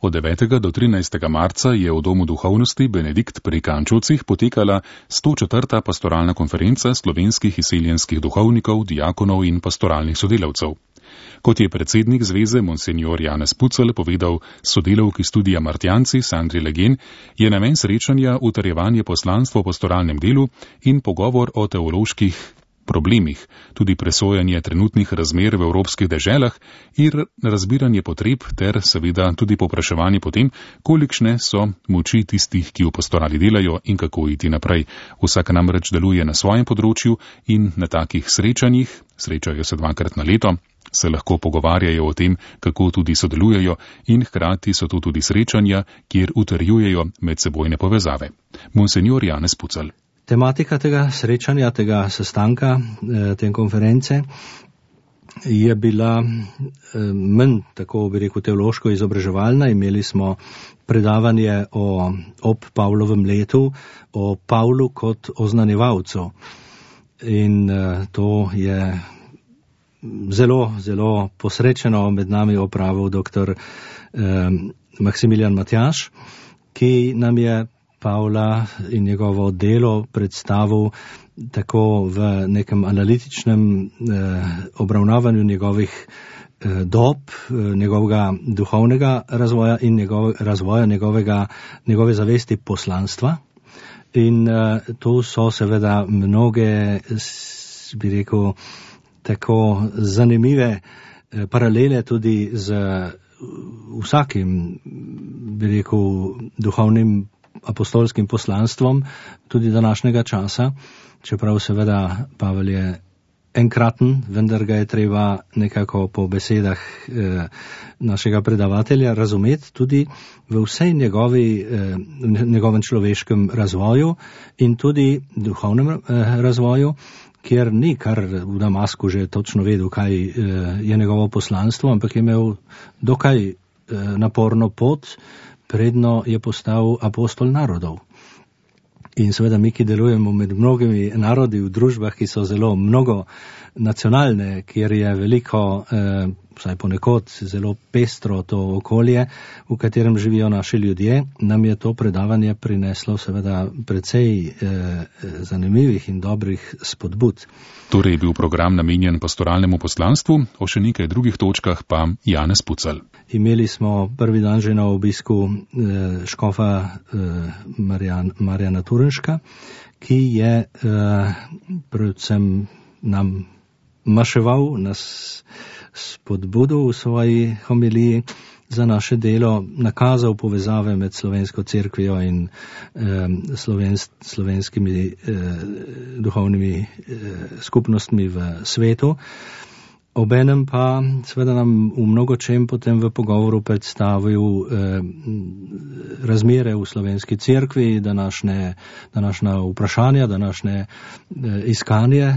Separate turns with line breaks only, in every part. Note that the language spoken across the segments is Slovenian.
Od 9. do 13. marca je v Domu duhovnosti Benedikt pri Kančovcih potekala 104. pastoralna konferenca slovenskih izseljenskih duhovnikov, diakonov in pastoralnih sodelavcev. Kot je predsednik zveze monsignor Janez Pucelj povedal sodelavki studija Martjanci Sandri Legen, je namen srečanja utrjevanje poslanstva v pastoralnem delu in pogovor o teoloških problemih, tudi presojanje trenutnih razmer v evropskih deželah in razbiranje potreb ter seveda tudi povpraševanje po tem, kolikšne so moči tistih, ki v pastorali delajo in kako iti naprej. Vsak namreč deluje na svojem področju in na takih srečanjih, srečajo se 2-krat na leto, se lahko pogovarjajo o tem, kako tudi sodelujejo in hkrati so to tudi srečanja, kjer utrjujejo medsebojne povezave. Monsignor Janez Pucelj.
Tematika tega srečanja, tega sestanka, te konference je bila manj, tako bi rekel, teološko izobraževalna. Imeli smo predavanje ob Pavlovem letu, o Pavlu kot oznanjevalcu. In to je zelo, zelo posrečeno med nami opravil dr. Maksimilijan Matjaž, ki nam je Pavla in njegovo delo predstavil tako v nekem analitičnem obravnavanju njegovih dob, njegovega duhovnega razvoja in razvoja njegove zavesti poslanstva. In tu so seveda mnoge, bi rekel, tako zanimive paralele tudi z vsakim, bi rekel, duhovnim apostolskim poslanstvom tudi današnjega časa, čeprav seveda Pavel je enkraten, vendar ga je treba nekako po besedah našega predavatelja razumeti tudi v vsej njegovem človeškem razvoju in tudi duhovnem razvoju, kjer ni kar v Damasku že točno vedel, kaj je njegovo poslanstvo, ampak je imel dokaj naporno pot, predno je postal apostol narodov. In seveda mi, ki delujemo med mnogimi narodi v družbah, ki so zelo mnogo nacionalne, kjer je veliko, vsaj ponekod, zelo pestro to okolje, v katerem živijo naši ljudje, nam je to predavanje prineslo seveda precej zanimivih in dobrih spodbud.
Torej je bil program namenjen pastoralnemu poslanstvu, o še nekaj drugih točkah pa Janez Pucelj.
Imeli smo prvi dan že na obisku škofa Marjana Turenška, ki je predvsem nam maševal, nas spodbudil v svoji homiliji za naše delo, nakazal povezave med slovensko cerkvijo in slovenskimi duhovnimi skupnostmi v svetu. Obenem pa seveda nam v mnogočem potem v pogovoru predstavil razmere v slovenski cerkvi, današnja vprašanja, današnje iskanje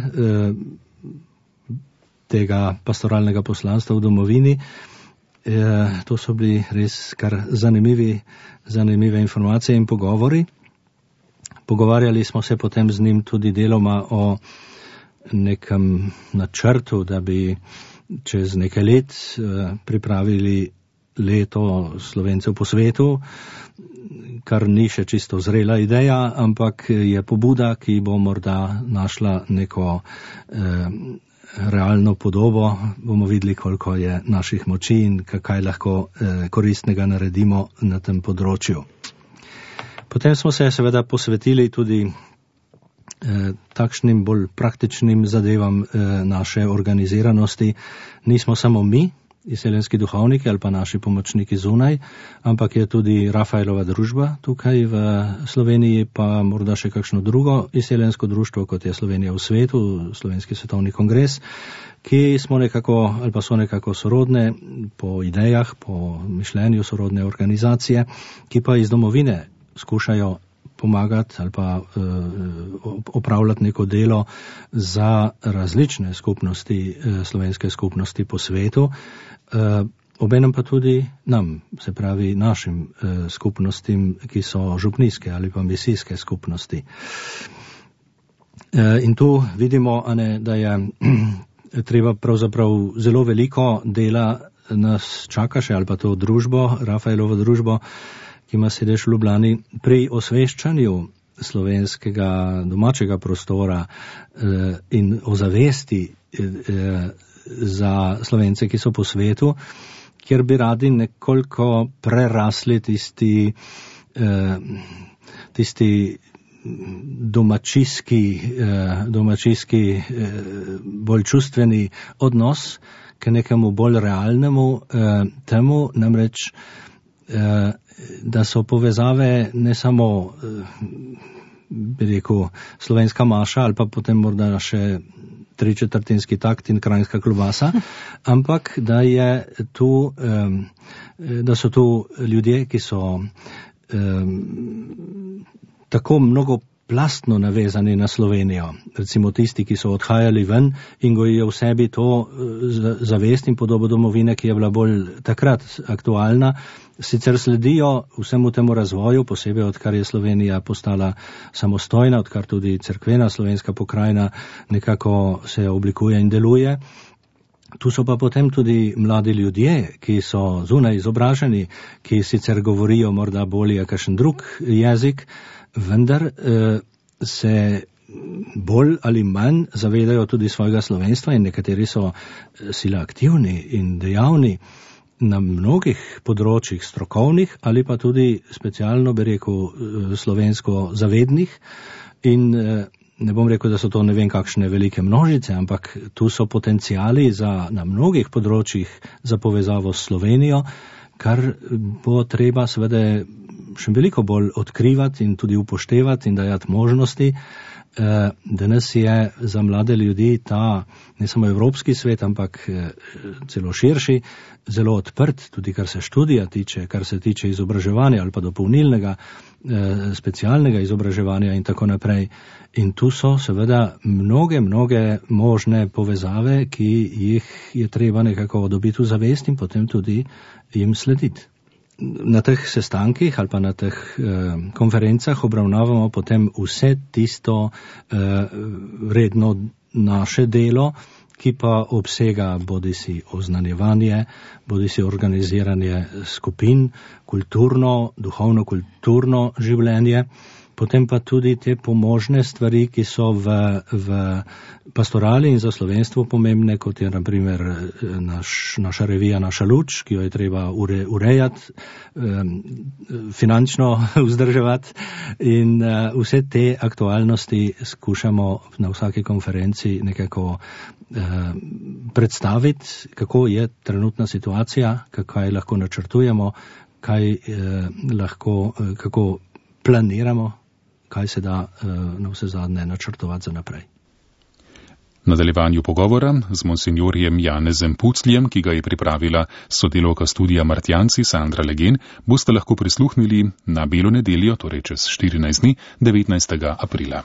tega pastoralnega poslanstva v domovini. To so bili res kar zanimive informacije in pogovori. Pogovarjali smo se potem z njim tudi deloma o nekem načrtu, da bi čez nekaj let pripravili leto Slovencev po svetu, kar ni še čisto zrela ideja, ampak je pobuda, ki bo morda našla neko realno podobo. Bomo videli, koliko je naših moči in kaj lahko koristnega naredimo na tem področju. Potem smo se seveda posvetili tudi takšnim bolj praktičnim zadevam naše organiziranosti. Nismo samo mi, izseljenski duhovniki ali pa naši pomočniki zunaj, ampak je tudi Rafaelova družba tukaj v Sloveniji, pa morda še kakšno drugo izseljensko društvo, kot je Slovenija v svetu, Slovenski svetovni kongres, ki smo nekako ali pa so nekako sorodne po idejah, po mišljenju sorodne organizacije, ki pa iz domovine skušajo pomagati ali pa opravljati neko delo za različne skupnosti, slovenske skupnosti po svetu, obenem pa tudi nam, se pravi našim skupnostim, ki so župnijske ali pa misijske skupnosti. In tu vidimo, da je treba pravzaprav zelo veliko dela nas čaka še, ali pa to družbo, Rafaelovo družbo, ki ima sedež v Ljubljani, pri osveščanju slovenskega domačega prostora in ozavesti za Slovence, ki so po svetu, kjer bi radi nekoliko prerasli tisti domačijski bolj čustveni odnos k nekemu bolj realnemu temu, namreč da so povezave ne samo bi rekel slovenska maša ali pa potem morda še 3/4 takt in kranjska klobasa, ampak da so tu ljudje, ki so tako mnogoplastno navezani na Slovenijo. Recimo tisti, ki so odhajali ven in gojijo v sebi to zavest in podobo domovine, ki je bila bolj takrat aktualna, sicer sledijo vsemu temu razvoju, posebej odkar je Slovenija postala samostojna, odkar tudi cerkvena slovenska pokrajina nekako se oblikuje in deluje. Tu so pa potem tudi mladi ljudje, ki so zunaj izobraženi, ki sicer govorijo morda bolje kakšen drug jezik, vendar se bolj ali manj zavedajo tudi svojega slovenstva in nekateri so sila aktivni in dejavni na mnogih področjih strokovnih ali pa tudi specialno bi rekel slovensko zavednih in ne bom rekel, da so to ne vem kakšne velike množice, ampak tu so potencijali na mnogih področjih za povezavo s Slovenijo, kar bo treba seveda še veliko bolj odkrivati in tudi upoštevati in dajati možnosti. Danes je za mlade ljudi ta ne samo evropski svet, ampak celo širši, zelo odprt, tudi kar se študija tiče, kar se tiče izobraževanja ali pa dopolnilnega, specialnega izobraževanja in tako naprej. In tu so seveda mnoge možne povezave, ki jih je treba nekako dobiti v zavest in potem tudi jim slediti. Na teh sestankih ali pa na teh konferencah obravnavamo potem vse tisto redno naše delo, ki pa obsega bodisi oznanjevanje, bodisi organiziranje skupin, duhovno-kulturno življenje, potem pa tudi te pomožne stvari, ki so v pastorali in za slovenstvo pomembne, kot je na primer naša revija Naša luč, ki jo je treba urejati, finančno vzdrževati in vse te aktualnosti skušamo na vsaki konferenci nekako predstaviti, kako je trenutna situacija, kaj lahko načrtujemo, kako planiramo, kaj se da na vse zadnje načrtovati za naprej.
V nadaljevanju pogovora z monsinjorjem Janezem Pucljem, ki ga je pripravila sodelavka studija Martjanci Sandra Legen, boste lahko prisluhnili na Belo nedeljo, torej čez 14 dni, 19. aprila.